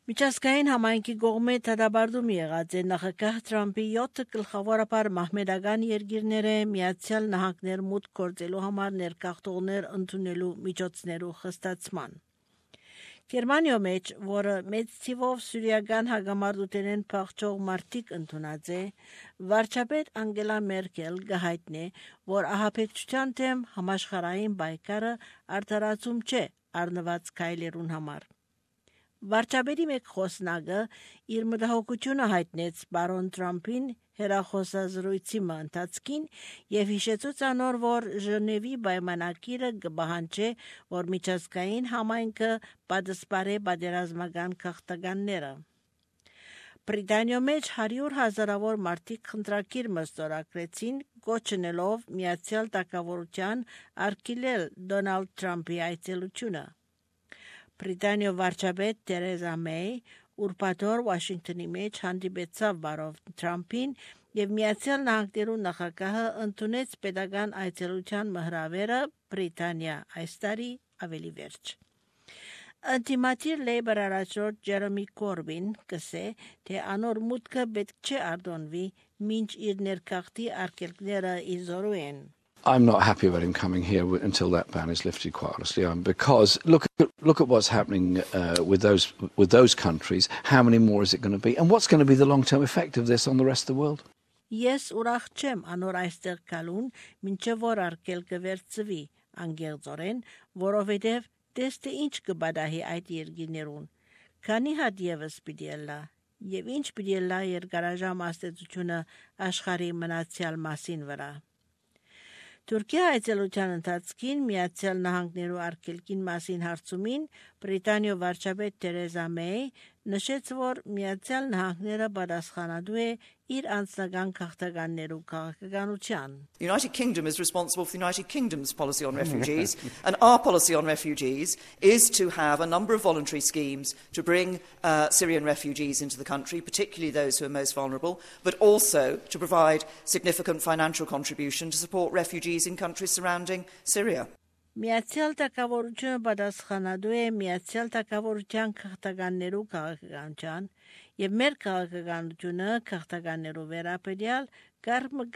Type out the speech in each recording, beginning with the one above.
Միջազգային համայնքի կողմէ դադարում եղած է նախագահ Թրամփի 7 գլխավորապես մահմեդական երկիրները Միացյալ Նահանգներ մուտք գործելու համար ներկախտողներ ընդունելու միջոցներու խստացման։ Գերմանիա մեջ, որը մեծ թիվով սուրիական հագամարտութենեն փախչող մարդիկ ընդունած է, վարչապետ Անգելա Մերկել գահիտնե, որ ահաբեկչության դեմ համաշխարհային պայքարը արդարացում չէ առնված քայլերուն համար։ Վարչապետի մեկ խոսնակը իր մտահոգությունը հայտնեց բարոն Թրամփին հեռախոսազրույցի ընթացքին եւ հիշեցուց անոր, որ Ժնևի պայմանագիրը կպահանջի, որ միջազգային համայնքը պատասպարե պատերազմական քաղաքականները։ Բրիտանիա մեջ 100,000-ավոր մարդիկ խնդրակիր մստորագրեցին կոչնելով Միացյալ Թագավորության արգելել Դոնալդ Թրամփի այցելությունը։ Բրիտանիա վարչապետ Թերեզա Մեյ ուրբաթօր Վաշինգտոնի մեջ հանդիպեցավ բարոն Թրամփին եւ Միացյալ Նահանգներու նախագահը ընդունեց պետական այցելության մհրավերը Բրիտանիա այս տարի ավելի վերջ։ Անտիմատիր Լեյբր առաջնորդ Ջերեմի Կորբին կսե, թե անոր մուտքը պետք չէ ardոնվի, մինչ իր ներքախտի արգելքները իզորու են։ I'm not happy about him coming here until that ban is lifted, quite honestly, because look at what's happening with those countries. How many more is it going to be? And what's going to be the long-term effect of this on the rest of the world? Ես ուրախ չեմ անոր այստեղ կալուն, մինչև որ արգելքը վերցվի, անգեղծորեն, որովհետև տեստե ինչ կբադահի այդ երկիներուն, քանի հատ ևս պիտի ելա, եւ ինչ պիտի ելա երկարաժամ աստեցությունը աշխարհի մնացյալ մասին վրա։ Թուրքիա այցելության ընթացքին Միացյալ Նահանգներու արգելքին մասին հարցումին Բրիտանիա վարչապետ Թերեզա Մեյ նշեց, որ Միացյալ Նահանգները պատասխանատու է իր անձնական քաղաքականներու քաղաքականության։ The United Kingdom is responsible for the United Kingdom's policy on refugees, and our policy on refugees is to have a number of voluntary schemes to bring Syrian refugees into the country, particularly those who are most vulnerable, but also to provide significant financial contribution to support refugees in countries surrounding Syria. Միացյալ Թագավորությունը պատասխանատու է Միացյալ Թագավորության քաղաքականներու քաղաքականության եւ մեր քաղաքականությունը քաղաքականներու վերաբերյալ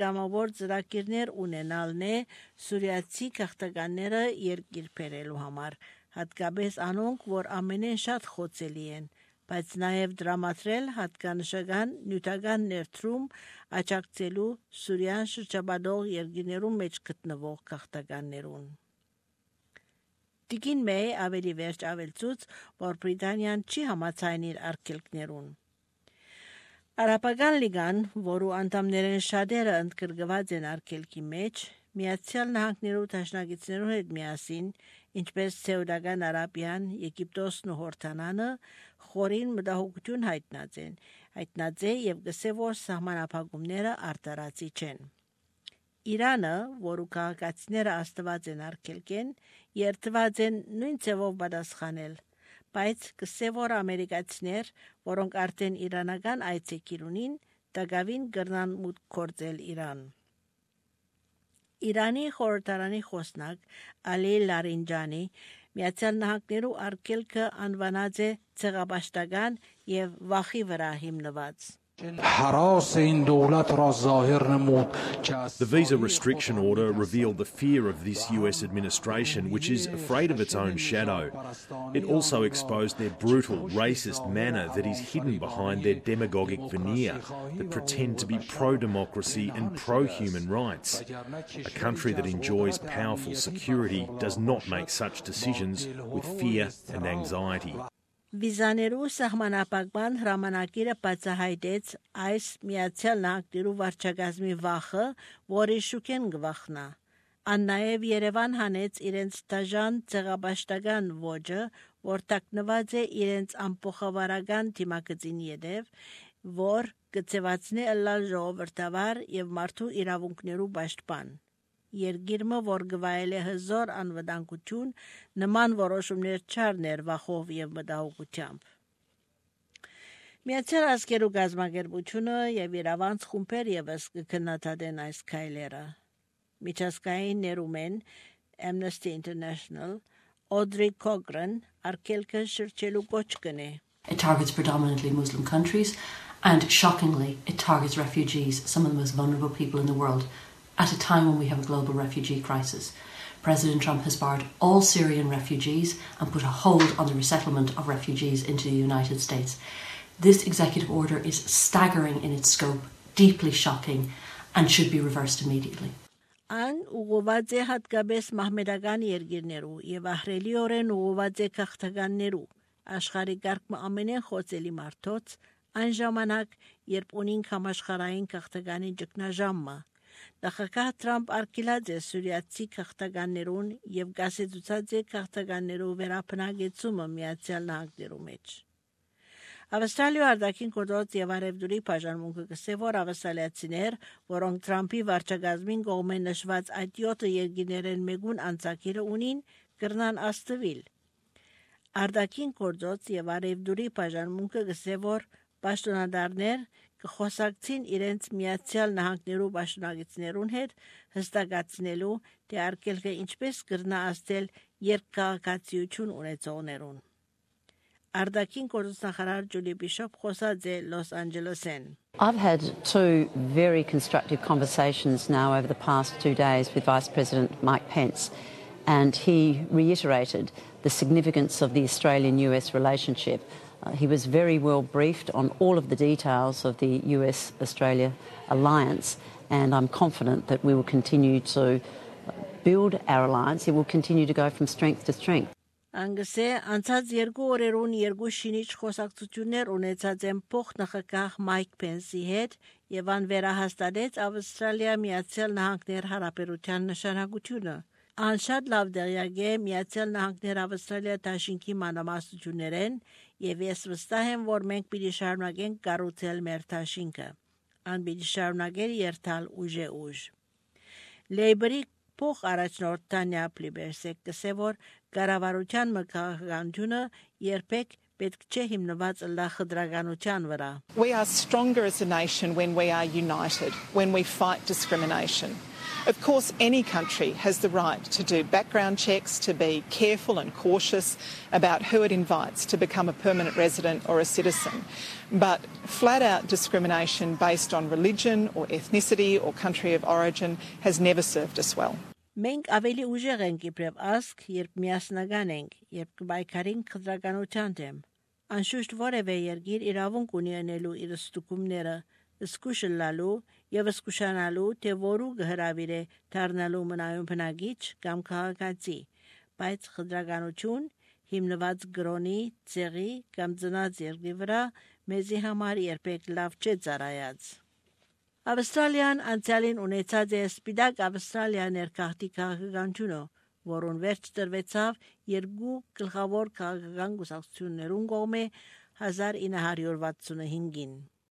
գամավոր ծրագիրներ ունենալն է սուրիացի քաղաքականները երկիր բերելու համար, հատկապես անոնք, որ ամենեն շատ խոցելի են, բայց նաեւ դրամատրել հատկանշական նյութական ներդրում աջակցելու Սուրիան շրջապատող երկիրներու մեջ գտնվող քաղաքականներուն։ Տիկին Մեյ ավելի վերջ ավելցուց, որ Բրիտանիան չի համաձայն իր արգելքներուն։ Արաբական լիգան, որու անդամներեն շատերը ընդգրկված են արգելքի մեջ, Միացյալ Նահանգներու դաշնակիցներու հետ միասին, ինչպես Սաուդական Արաբիան, Եգիպտոսն ու Հորդանանը, խորին մտահոգություն հայտնած է եւ գսե որ սահմանափակումները արտարացի չեն։ Իրանը, որու քաղաքացիները աստված են արգելքեն, երթված են նույն ձևով պատասխանել, բայց կսե որ ամերիկացիներ, որոնք արդեն իրանական այցեքիր ունին, դակավին կրնան մուտք գործել Իրան։ Իրանի խորհրդարանի խոսնակ Ալի Լարինջանի Միացյալ Նահանգներու արգելքը անվանած է ցեղապաշտական եւ վախի վրա հիմնված։ The visa restriction order revealed the fear of this US administration, which is afraid of its own shadow. It also exposed their brutal, racist manner that is hidden behind their demagogic veneer that pretend to be pro-democracy and pro-human rights. A country that enjoys powerful security does not make such decisions with fear and anxiety. Վիզաներու սահմանապակման հրամանակիրը բացահայտեց այս Միացյալ Նահանգներու վարչակազմի վախը, որի շուկեն գվախնա։ Ան նաև Երևան հանեց իրենց դաժան ցեղապաշտական ոճը, որ տակնված է իրենց ամփոխավարական թիմակցին յետև, որ կցեվացնի ըլլալ ժողովրդավար եւ մարդու իրավունքներու պաշտպան։ Երգիրմը, որ գվայել է հզոր անվտանգություն, նման որոշումներ չառներ վախով եւ մտահոգությամբ։ Միացյալ Ազգերու գազམ་ագերբությունը եւ իրավանց խումբեր եւս կքննադատեն այս քայլերը։ Միջազգային ներումեն Amnesty International Audrey Cochrane արգելքը շրջելու կոչ կնե։ It targets predominantly Muslim countries, and shockingly, it targets refugees, some of the most vulnerable people in the world, at a time when we have a global refugee crisis. President Trump has barred all Syrian refugees and put a hold on the resettlement of refugees into the United States. This executive order is staggering in its scope, deeply shocking, and should be reversed immediately. An ուղղված է հատկապես մահմեդական երկիրներու եւ ահրելիորեն ուղղված է քաղաքականներու աշխարհի կարգը ամենեն խոցելի մարդոց այն ժամանակ երբ ունին համաշխարհային քաղաքականի ճգնաժամը Նախագահ Թրամփ արգելած է սուրիացի քաղաքականներուն եւ գասեցուցած է քաղաքականներու վերապնագեցումը Միացյալ Նահանգներու մեջ Ավստրալիա արտաքին գործ եւ արևդուրի բաժանմունքը գսե որ ավստրալիացիներ, որոնք Թրամփի վարչագազմին կողմէ նշված այդ 7 երկիներեն մեգուն անցակիրը ունին, կրնան աստվել։ Արտաքին գործ եւ արևդուրի բաժանմունքը գսե որ պաշտոնադարներ կխոսակցին իրենց Միացյալ Նահանգներու պաշտոնագետներուն հետ հստակացնելու թե արկելքը ինչպես կրնա աստել երկկաղակացիություն ունեցողներուն։ Արտաքին գործնախարար Ջուլի Բիշոփ խոսած է Los Angeles-ին I've had 2 very constructive conversations now over the past 2 days with Vice President Mike Pence, and he reiterated the significance of the Australian-US relationship. He was very well briefed on all of the details of the US-Australia alliance, and I'm confident that we will continue to build our alliance. It will continue to go from strength to strength. Անգսե անցած 2 օրերուն 2 շինիչ խոսակցություններ ունեցած են փոխնախագահ Մայք Փենսի հետ եւ ան վերահաստատեց Ավստրալիա Միացյալ Նահանգներ հարաբերության նշանակությունը։ Ան շատ լավ դերյակ է Միացյալ Նահանգներ Ավստրալիա դաշինքի մանրամասնություններեն եւ ես վստահ եմ որ մենք պիտի շարունակենք կառուցել մեր դաշինքը։ Ան պիտի շարունակել երթալ ուժ։ Լեյբերի փոխ առաջնորդ Տանյա Պլիբերսեկ գսե որ կառավարության մկահանջությունը երբեք պետք չէ հիմնված լախդրականության վրա We are stronger as a nation when we are united, when we fight discrimination. Of course, any country has the right to do background checks, to be careful and cautious about who it invites to become a permanent resident or a citizen. But flat-out discrimination based on religion or ethnicity or country of origin has never served us well. Մենք ավելի ուժեղ ենք իբրև ազգ, երբ միասնական ենք, երբ կբայքարենք խտրականության դեմ։ Անշուշտ որևէ երկիր իրավունք ունի անելու իր ստուգումները, զսկուշլալու եւ զսկուշանալու թե որու գհրավիր է դառնալու մնայուն բնագիչ կամ քաղաքացի, բայց խտրականություն հիմնված գրոնի, ցեղի կամ ծնած երկրի վրա մեզի համար երբեք լավ չէ ծառայած։ Ավստրալիան անցյալին ունեցած է սպիտակ Ավստրալիա ներքաղթի քաղաքականությունը, որոնց վերջ տրվեցավ 2 գլխավոր քաղաքական կուսակցություններուն կողմէ 1965-ին։